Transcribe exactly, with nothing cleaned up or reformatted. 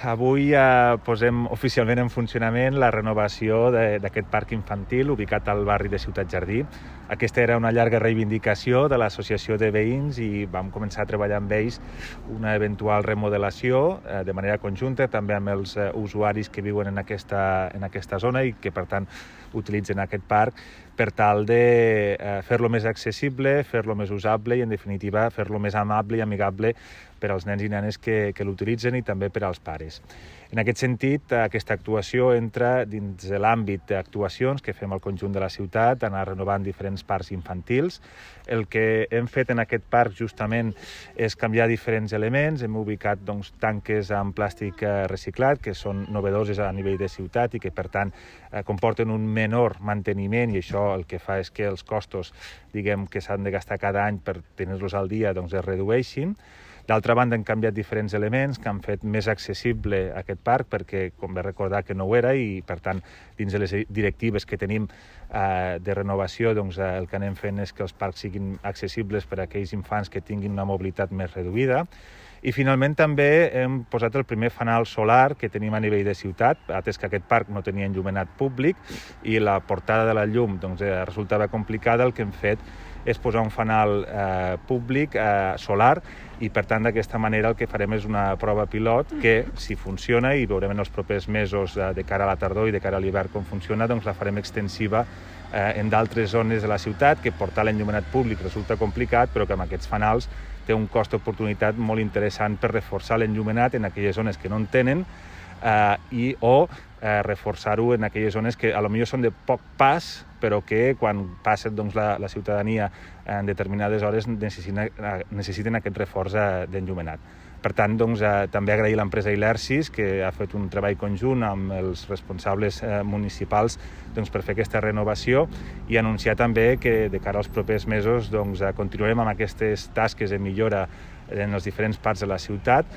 Avui eh, posem oficialment en funcionament la renovació d'aquest parc infantil ubicat al barri de Ciutat Jardí. Aquesta era una llarga reivindicació de l'associació de veïns i vam començar a treballar amb ells una eventual remodelació eh, de manera conjunta, també amb els eh, usuaris que viuen en aquesta, en aquesta zona i que, per tant, utilitzen aquest parc per tal de eh, fer-lo més accessible, fer-lo més usable i, en definitiva, fer-lo més amable i amigable per als nens i nenes que, que l'utilitzen i també per als pares. En aquest sentit, aquesta actuació entra dins de l'àmbit d'actuacions que fem al conjunt de la ciutat, anar renovant diferents parcs infantils. El que hem fet en aquest parc justament és canviar diferents elements. Hem ubicat doncs, tanques amb plàstic reciclat, que són novedoses a nivell de ciutat i que, per tant, comporten un menor manteniment, i això el que fa és que els costos, diguem, que s'han de gastar cada any per tenir-los al dia doncs, es redueixin. D'altra banda, hem canviat diferents elements que han fet més accessible aquest parc perquè, com bé recordar, que no ho era i, per tant, dins de les directives que tenim eh, de renovació, doncs, eh, el que anem fent és que els parcs siguin accessibles per a aquells infants que tinguin una mobilitat més reduïda. I, finalment, també hem posat el primer fanal solar que tenim a nivell de ciutat, atès que aquest parc no tenia enllumenat públic i la portada de la llum doncs, eh, resultava complicada. El que hem fet és posar un fanal eh, públic eh, solar i, per tant, d'aquesta manera el que farem és una prova pilot que, si funciona, i veurem en els propers mesos eh, de cara a la tardor i de cara a l'hivern com funciona, doncs la farem extensiva eh, en d'altres zones de la ciutat, que portar l'enllumenat públic resulta complicat, però que amb aquests fanals té un cost d'oportunitat molt interessant per reforçar l'enllumenat en aquelles zones que no en tenen eh, i o eh, reforçar-ho en aquelles zones que a lo millor són de poc pas, però que quan passa doncs, la, la ciutadania en determinades hores necessiten, necessiten aquest reforç d'enllumenat. Per tant, doncs, eh, també agrair a l'empresa Ilersis, que ha fet un treball conjunt amb els responsables eh, municipals doncs, per fer aquesta renovació, i anunciar també que de cara als propers mesos doncs, continuarem amb aquestes tasques de millora en els diferents parts de la ciutat,